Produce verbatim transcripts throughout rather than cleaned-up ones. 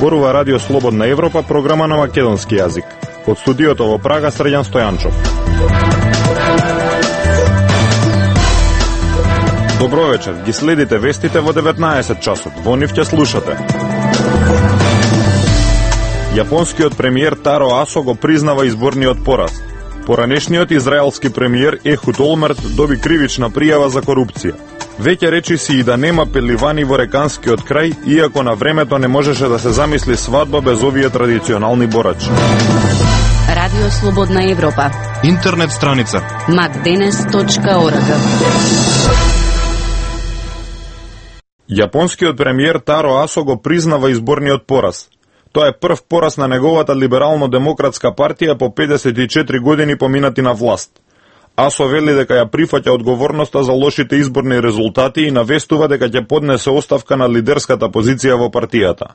Зборува Радио Слободна Европа, програма на македонски јазик. Од студиото во Прага, Срđan Стојанчов. Добро вечер, ги следите вестите во деветнаесет часот. Во нив ќе слушате. Јапонскиот премиер Таро Асо го признава изборниот пораз. Поранешниот израелски премиер Ехуд Олмерт доби кривична пријава за корупција. Веќе речи си и да нема пеливани во реканскиот крај, иако на времето не можеше да се замисли свадба без овие традиционални борачи. Радио Слободна Европа. Интернет страница макденес точка орг. Јапонскиот премиер Таро Асо го признава изборниот пораз. Тоа е прв пораз на неговата либерално-демократска партија по педесет и четири години поминати на власт. Асо вели дека ја прифаќа одговорноста за лошите изборни резултати и навестува дека ќе поднесе оставка на лидерската позиција во партијата.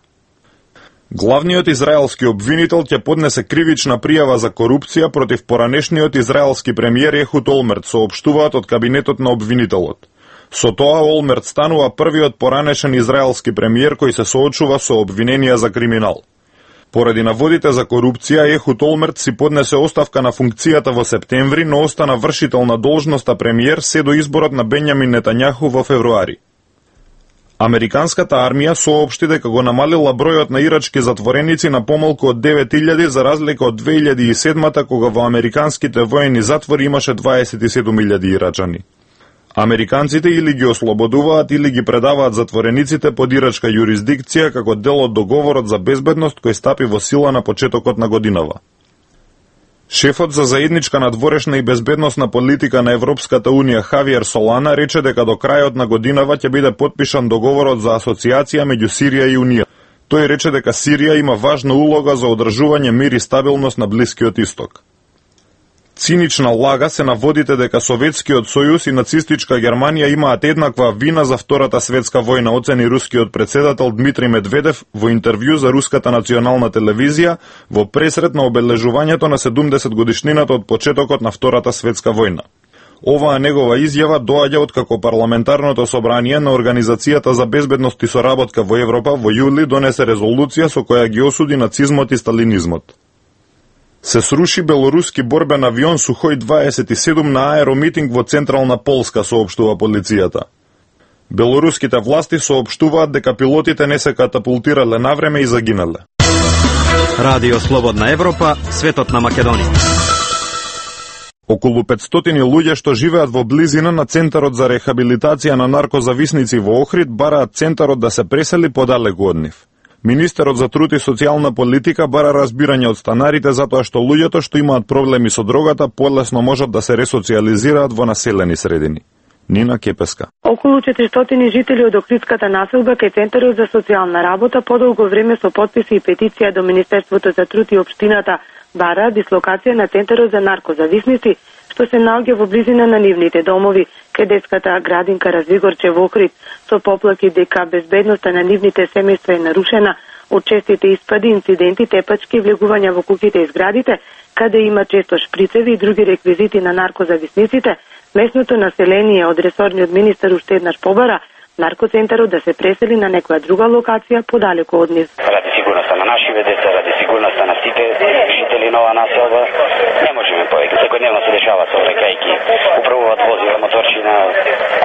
Главниот израелски обвинител ќе поднесе кривична пријава за корупција против поранешниот израелски премиер Ехуд Олмерт, соопштуваат од кабинетот на обвинителот. Со тоа Олмерт станува првиот поранешен израелски премиер кој се соочува со обвиненија за криминал. Поради наводите за корупција, Ехуд Олмерт си поднесе оставка на функцијата во септември, но остана вршител на должноста премиер се до изборот на Бенјамин Нетањаху во февруари. Американската армија соопшти дека го намалила бројот на ирачки затвореници на помалку од девет илјади за разлика од две илјади и седма кога во американските воени затвори имаше дваесет и седум илјади ирачани. Американците или ги ослободуваат или ги предаваат затворениците под ирачка јурисдикција како дел од договорот за безбедност кој стапи во сила на почетокот на годинава. Шефот за заедничка надворешна и безбедносна политика на Европската Унија Хавиер Солана рече дека до крајот на годинава ќе биде потпишан договорот за асоциација меѓу Сирија и Унија. Тој рече дека Сирија има важна улога за одржување мир и стабилност на Блискиот Исток. Цинична лага се наводите дека Советскиот сојуз и нацистичка Германија имаат еднаква вина за Втората светска војна, оцени рускиот председател Дмитрий Медведев во интервју за Руската национална телевизија во пресрет на обележувањето на седумдесет годишнината од почетокот на Втората светска војна. Оваа негова изјава доаѓа откако парламентарното собрание на Организацијата за безбедност и соработка во Европа во јули донесе резолуција со која ги осуди нацизмот и сталинизмот. Се сруши белоруски борбен авион Сухој дваесет и седум на аеромитинг во централна Полска, соопштува полицијата. Белоруските власти соопштуваат дека пилотите не се катапултирале навреме и загинале. Радио Слободна Европа, светот на Македонија. Околу петстотини луѓе што живеат во близина на Центарот за рехабилитација на наркозависници во Охрид бараат центарот да се пресели подалеку од нив. Министерот за труд и социјална политика бара разбирање од станарите затоа што луѓето што имаат проблеми со дрогата полесно можат да се ресоциализираат во населени средини. Нина Кепеска. Околу четиристотини жители од Охридската населба кај Центарот за социјална работа подолго време со подписи и петиција до Министерството за труд и општината бара дислокација на Центарот за наркозависници што се наоѓа во близина на нивните домови, кај детската градинка Развигорче во Охрид, со поплаки дека безбедноста на нивните семејства е нарушена од честите испади, инциденти, тепачки и влегувања во куќите и зградите, каде има често шприцеви и други реквизити на наркозависниците. Местното население од ресорниот министер уште еднаш побара наркоцентарот да се пресели на некоја друга локација подалеку од нив. Ради сигурноста на нашите деца, ради сигурноста на сите жители на оваа населба, не можеме повеќе. Секојдневно се дешава сообраќајки, управуваат возила, моторчина,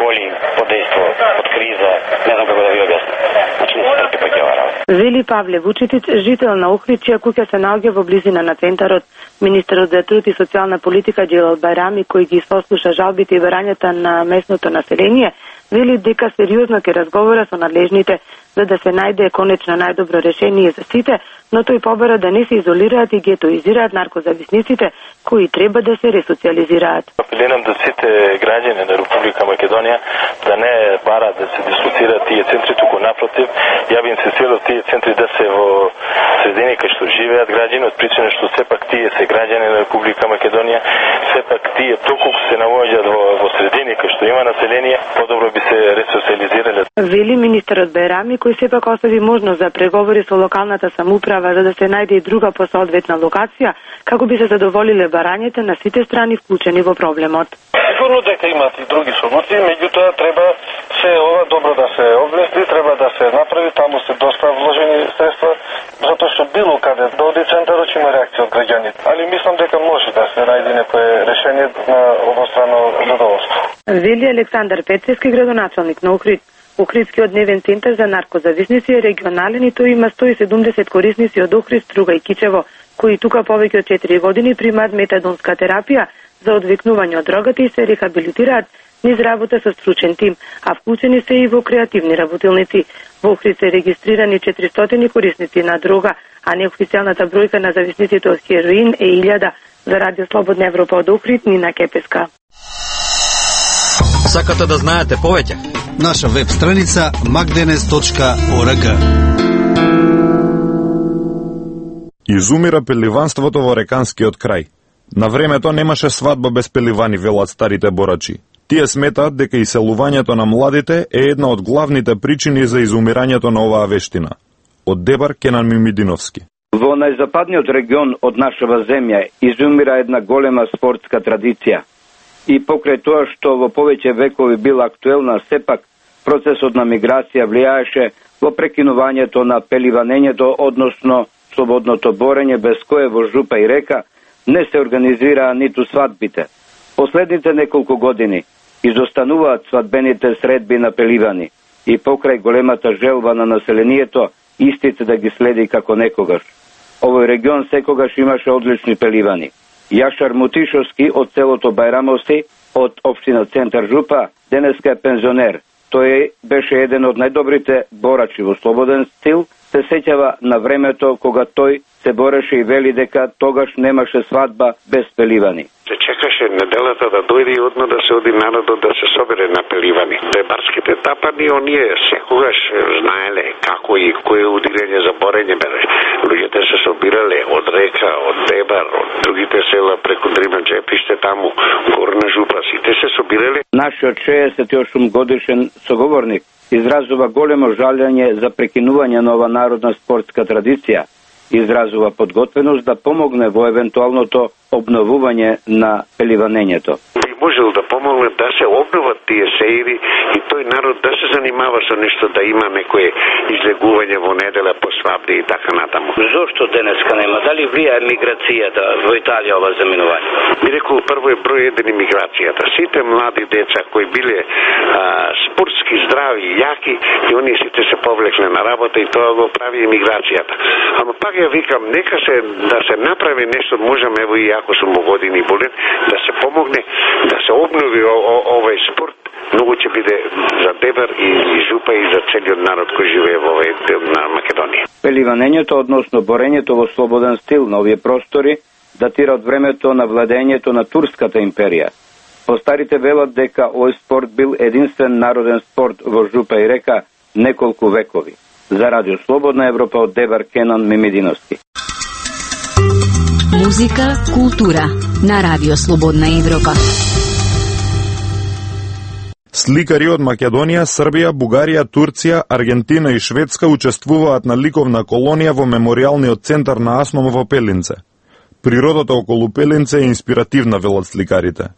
коли, под дејство, под криза, не знам како да ви објаснам. Значи не се трпи пак ова работа. Вели Павле Вучитич, жител на Охрид, чија куќа се наоѓа во близина на центарот. Министерот за труд и социјална политика Џелал Бајрами, кој ги сослуша жалбите и барањата на местното население, вели дека сериозно ќе разговара со надлежните за да се најде конечно најдобро решение за сите, но тој побара да не се изолираат и гетоизираат наркозависниците кои треба да се ресоциализираат. Апелирам до сите граѓани на Република Македонија да не барат да се дислоцираат тие центри, туку напротив, ја би инсистирал тие центри да се во средини кај што живеат граѓани, од причина што сепак тие се граѓани на Република Македонија, сепак тие доколку се наоѓаат во, во средини кај што има население, подобро би се ресоциализирале. Вели министерот Бајрами, кој сепак остави можност за преговори со локалната самоуправа за да се најде и друга посоодветна локација, како би се задоволиле барањата на сите страни вклучени во проблемот. Сигурно дека имат и други солуции, меѓутоа треба се ова добро да се обмисли, треба да се направи, таму се доста вложени средства, затоа што било каде да оди центарот има реакција од граѓаните. Али мислам дека може да се најде некое решение на обострано задоволство. Вели Александар Петрески, градоначалник на Охрид. Охридскиот дневен центар за наркозависници е регионален и тој има сто и седумдесет корисници од Охрид, Струга и Кичево, кои тука повеќе од четири години примаат метадонска терапија за одвикнување од дрогата и се рехабилитираат низ работа со стручен тим, а вклучени се и во креативни работилници. Во Охрид се регистрирани четиристотини корисници на дрога, а неофицијалната бројка на зависниците од хероин е илјада. За Радио Слободна Европа од Охрид, Нина Кепеска. Сакате да знаете повеќе? Наша веб страница макденес точка орг. Изумира пеливанството во реканскиот крај. На времето немаше свадба без пеливани, велат старите борачи. Тие сметаат дека иселувањето на младите е една од главните причини за изумирањето на оваа вештина. Од Дебар, Кенан Мимидиновски. Во најзападниот регион од нашава земја изумира една голема спортска традиција. И покрај тоа што во повеќе векови била актуелна, сепак процесот на миграција влијаеше во прекинувањето на пеливанењето, односно слободното борење, без кое во жупа и река не се организираа ниту свадбите. Последните неколку години изостануваат свадбените средби на пеливани и покрај големата желба на населението, истите да ги следи како некогаш. Овој регион секогаш имаше одлични пеливани. Јашар Мутишовски од селото Бајрамовци, од општина Центар Жупа, денеска е пензионер. Тој беше еден од најдобрите борачи во слободен стил, се сеќава на времето кога тој се бореше и вели дека тогаш немаше свадба без пеливани. Се чекаше неделата да дојде и одно да се оди народот да се собере на пеливани. Дебарските тапани, оние секогаш знаеле како и кое удирење за борење бере. Луѓето се собирале од река, од Дебар, од другите села преку Дрима Джепиште таму, Горна Жупа, сите се собирале. Нашиот шеесет и осум годишен соговорник изразува големо жалење за прекинување на ова народна спортска традиција. Изразува подготвеност да помогне во евентуалното обновување на пеливанењето. Би можел да помогне да се обноват тие сеири и тој народ да се занимава со нешто, да има некое излегување во недела по свадби и така натаму. Зошто денеска нема? Дали влијае миграцијата во Италија ова заминување? Би рекол, прво е број еден миграцијата. Сите млади деца кои биле а, спортски здрави и јаки, и оние сите се повлекле на работа и тоа го прави емиграцијата. Ама пак ја викам, нека се да се направи нешто, можам ево и ако сум во години болен, да се помогне, да се обнови о, о, овој спорт. Многу ќе биде за Дебар и, и Жупа и за целиот народ кој живее во овој дел на Македонија. Пеливанењето, односно борењето во слободен стил на овие простори, датира од времето на владењето на Турската империја. Постарите велат дека овој спорт бил единствен народен спорт во Жупа и река неколку векови. За Радио Слободна Европа од Дебар, Кенан Мимидиновски. Музика, култура на Радио Слободна Европа. Сликари од Македонија, Србија, Бугарија, Турција, Аргентина и Шведска учествуваат на ликовна колонија во меморијалниот центар на Асном во Пелинце. Природата околу Пелинце е инспиративна, велат сликарите.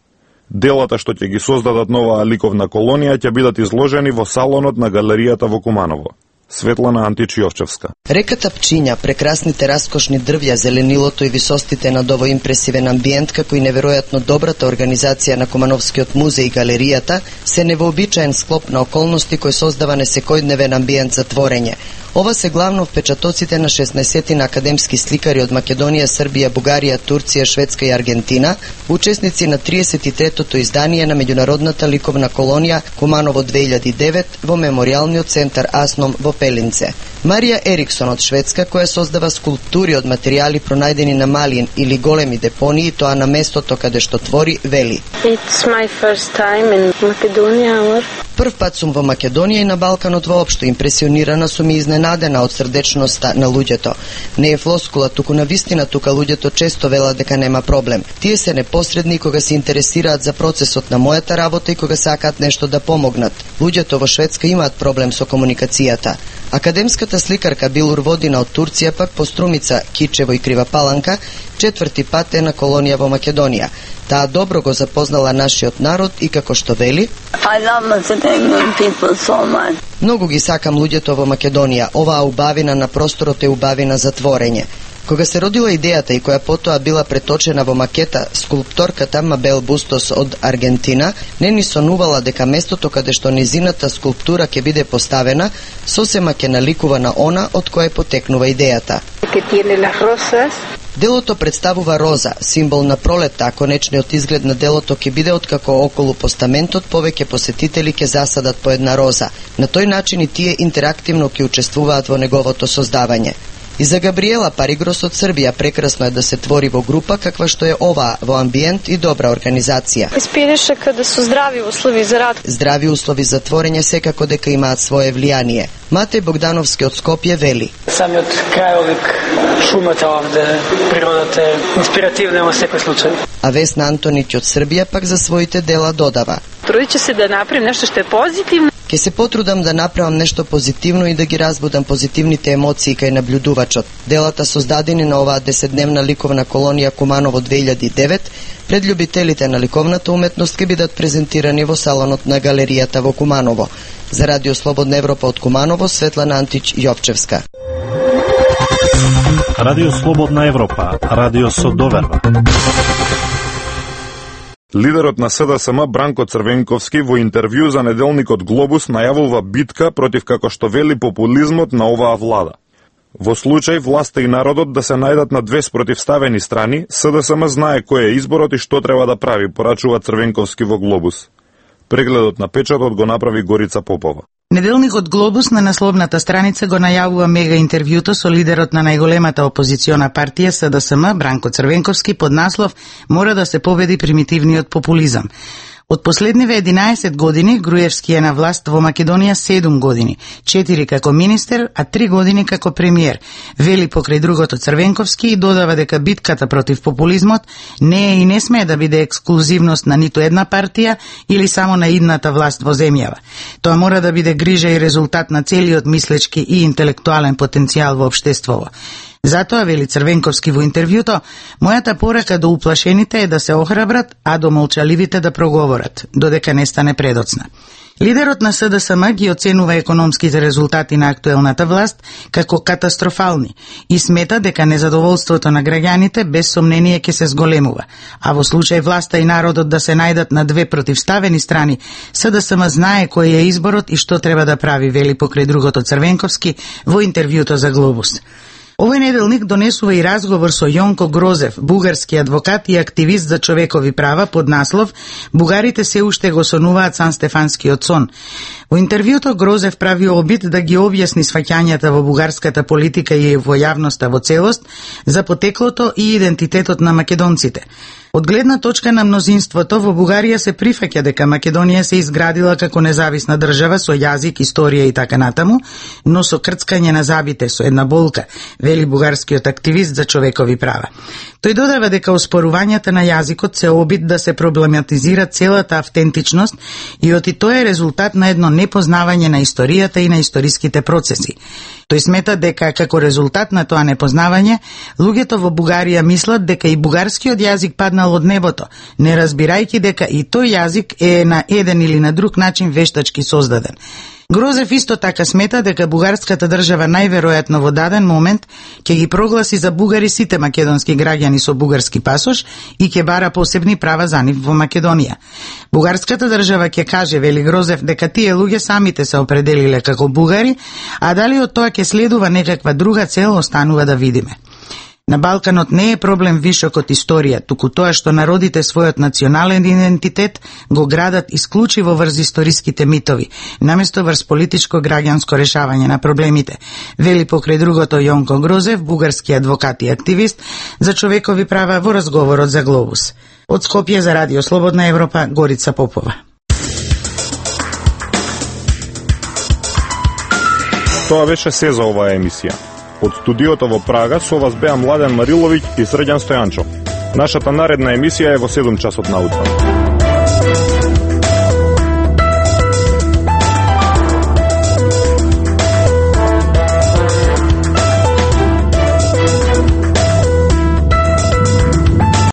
Делата што ќе ги создадат нова ликовна колонија ќе бидат изложени во салонот на галеријата во Куманово. Светлана Античиовчевска. Реката Пчиња, прекрасните раскошни дрвја, зеленилото и висостите над овој импресивен амбиент, како и неверојатно добрата организација на Кумановскиот музеј и галеријата, се невообичаен склоп на околности кој создава несекојдневен амбиент за творење. Ова се главно впечатоците на шеснаесет на академски сликари од Македонија, Србија, Бугарија, Турција, Шведска и Аргентина, учесници на триесет и третото издание на меѓународната ликовна колонија Куманово две илјади и девет во меморијалниот центар Асном во Пелинце. Марија Ериксон од Шведска, која создава скулптури од материјали пронајдени на мали или големи депонии, тоа на местото каде што твори, вели: It's my first time in Macedonia. Прв пат сум во Македонија и на Балканот воопшто. Импресионирана сум и изненадена од срдечноста на луѓето. Не е флоскула, туку на вистина тука луѓето често велат дека нема проблем. Тие се непосредни кога се интересираат за процесот на мојата работа и кога сакаат нешто да помогнат. Луѓето во Шведска имаат проблем со комуникацијата. Академската сликарка Билур Водина од Турција пак по Струмица, Кичево и Крива Паланка четврти пат е на колонија во Македонија. Таа добро го запознала нашиот народ и како што вели: I love Macedonian people so much. Многу ги сакам луѓето во Македонија. Оваа убавина на просторот е убавина за творење. Кога се родила идејата и која потоа била преточена во макета, скулпторката Мабел Бустос од Аргентина не ни сонувала дека местото каде што низината скулптура ќе биде поставена сосема ќе наликува на она од кое потекнува идејата. Делото представува роза, символ на пролетта, а конечниот изглед на делото ќе биде откако околу постаментот повеќе посетители ќе засадат по една роза. На тој начин и тие интерактивно ќе учествуваат во неговото создавање. И за Габриела Паригрос од Србија прекрасно е да се твори во група каква што е оваа, во амбиент и добра организација. Инспирише каде су здрави услови за рад. Здрави услови за творење секако дека имаат свое влијание. Матеј Богдановски од Скопје вели: Самиот крајолик, шумата овде, природата е инспиративна во секој случај. А Весна Антонич од Србија пак за своите дела додава: Трудиće се да направим нешто што е позитивно. Ке се потрудам да направам нешто позитивно и да ги разбудам позитивните емоции кај наблюдувачот. Делата создадени на оваа десетдневна ликовна колонија Куманово две илјади и девет пред љубителите на ликовната уметност ќе бидат презентирани во салонот на галеријата во Куманово. За Радио Слободна Европа од Куманово, Светлана Антич Јовчевска. Радио Слободна Европа, радио со доверба. Лидерот на С Д С М Бранко Црвенковски во интервју за неделникот Глобус најавува битка против, како што вели, популизмот на оваа влада. Во случај власта и народот да се најдат на две спротивставени страни, С Д С М знае кој е изборот и што треба да прави, порачува Црвенковски во Глобус. Прегледот на печатот го направи Горица Попова. Неделникот Глобус на насловната страница го најавува мега интервјуто со лидерот на најголемата опозициона партија С Д С М Бранко Црвенковски под наслов "Мора да се победи примитивниот популизам". Од последниве единаесет години Груевски е на власт во Македонија седум години, четири како министер, а три години како премиер, вели покрај другото Црвенковски и додава дека битката против популизмот не е и не смее да биде ексклузивност на ниту една партија или само на идната власт во земјава. Тоа мора да биде грижа и резултат на целиот мислечки и интелектуален потенцијал во општеството. Затоа, вели Црвенковски во интервјуто, мојата порака до уплашените е да се охрабрат, а до молчаливите да проговорат, додека не стане предоцна. Лидерот на С Д С М ги оценува економските резултати на актуелната власт како катастрофални и смета дека незадоволството на граѓаните без сомнение ќе се зголемува, а во случај власта и народот да се најдат на две противставени страни, С Д С М знае кој е изборот и што треба да прави, вели покрај другото Црвенковски во интервјуто за Глобус. Овој неделник донесува и разговор со Јонко Грозев, бугарски адвокат и активист за човекови права под наслов "Бугарите се уште го сонуваат Сан-Стефанскиот сон". Во интервјуто Грозев прави обид да ги објасни сваќањата во бугарската политика и во јавноста во целост за потеклото и идентитетот на македонците. Од гледна точка на мнозинството, во Бугарија се прифаќа дека Македонија се изградила како независна држава со јазик, историја и така натаму, но со крцкање на забите, со една болка, вели бугарскиот активист за човекови права. Тој додава дека оспорувањата на јазикот се обид да се проблематизира целата автентичност и оти тоа е резултат на едно непознавање на историјата и на историските процеси. Тој смета дека како резултат на тоа непознавање, луѓето во Бугарија мислат дека и бугарскиот јазик паднал од небото, не разбирајќи дека и тој јазик е на еден или на друг начин вештачки создаден. Грозев исто така смета дека бугарската држава најверојатно во даден момент ќе ги прогласи за бугари сите македонски граѓани со бугарски пасош и ќе бара посебни права за нив во Македонија. Бугарската држава ќе каже, вели Грозев, дека тие луѓе самите се определиле како бугари, а дали од тоа ќе следува некаква друга цел останува да видиме. На Балканот не е проблем вишок од историја, туку тоа што народите својот национален идентитет го градат исклучиво врз историските митови, наместо врз политичко граѓанско решавање на проблемите, вели покрај другото Јонко Грозев, бугарски адвокат и активист за човекови права во разговорот за Глобус. Од Скопје за Радио Слободна Европа, Горица Попова. Тоа беше се за оваа емисија. Од студиото во Прага со вас беа Младен Мариловиќ и Срđan Стојанчов. Нашата наредна емисија е во седум часот наутро.